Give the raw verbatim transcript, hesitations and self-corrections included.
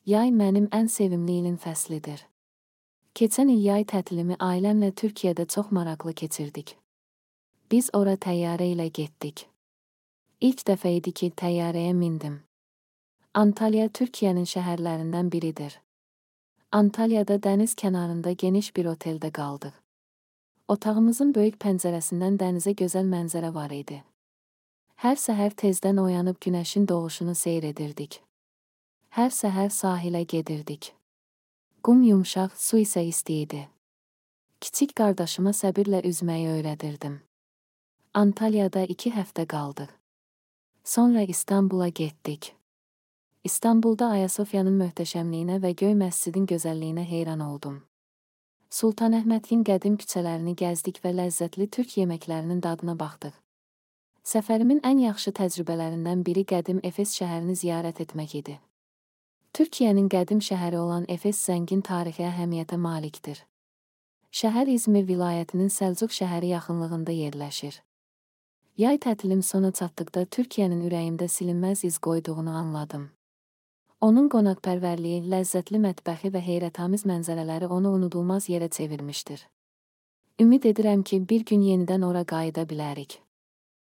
Yay mənim ən sevimli ilin fəslidir. Keçən il yay tətilimi ailəmlə Türkiyədə çox maraqlı keçirdik. Biz ora təyyarə ilə getdik. İlk dəfə idi ki, təyyarəyə mindim. Antalya Türkiyənin şəhərlərindən biridir. Antalyada dəniz kənarında geniş bir oteldə qaldıq. Otağımızın böyük pəncərəsindən dənizə gözəl mənzərə var idi. Hər səhər tezdən oyanıb günəşin doğuşunu seyr edirdik. Hər səhər sahilə gedirdik. Qum yumşaq, su isə isti idi. Kiçik qardaşıma səbirlə üzməyi öyrədirdim. Antalyada iki həftə qaldıq. Sonra İstanbula getdik. İstanbulda Ayasofyanın möhtəşəmliyinə və Göy məscidin gözəlliyinə heyran oldum. Sultanəhmədin qədim küçələrini gəzdik və ləzzətli türk yeməklərinin dadına baxdıq. Səfərimin ən yaxşı təcrübələrindən biri qədim Efes şəhərini ziyarət etmək idi. Türkiyənin qədim şəhəri olan Efes zəngin tarixi əhəmiyyətə malikdir. Şəhər İzmir vilayətinin Səlcuq şəhəri yaxınlığında yerləşir. Yay tətilim sona çatdıqda Türkiyənin ürəyimdə silinməz iz qoyduğunu anladım. Onun qonaqpərvərliyi, ləzzətli mətbəxi və heyrətamiz mənzərələri onu unudulmaz yerə çevirmişdir. Ümid edirəm ki, bir gün yenidən ora qayıda bilərik.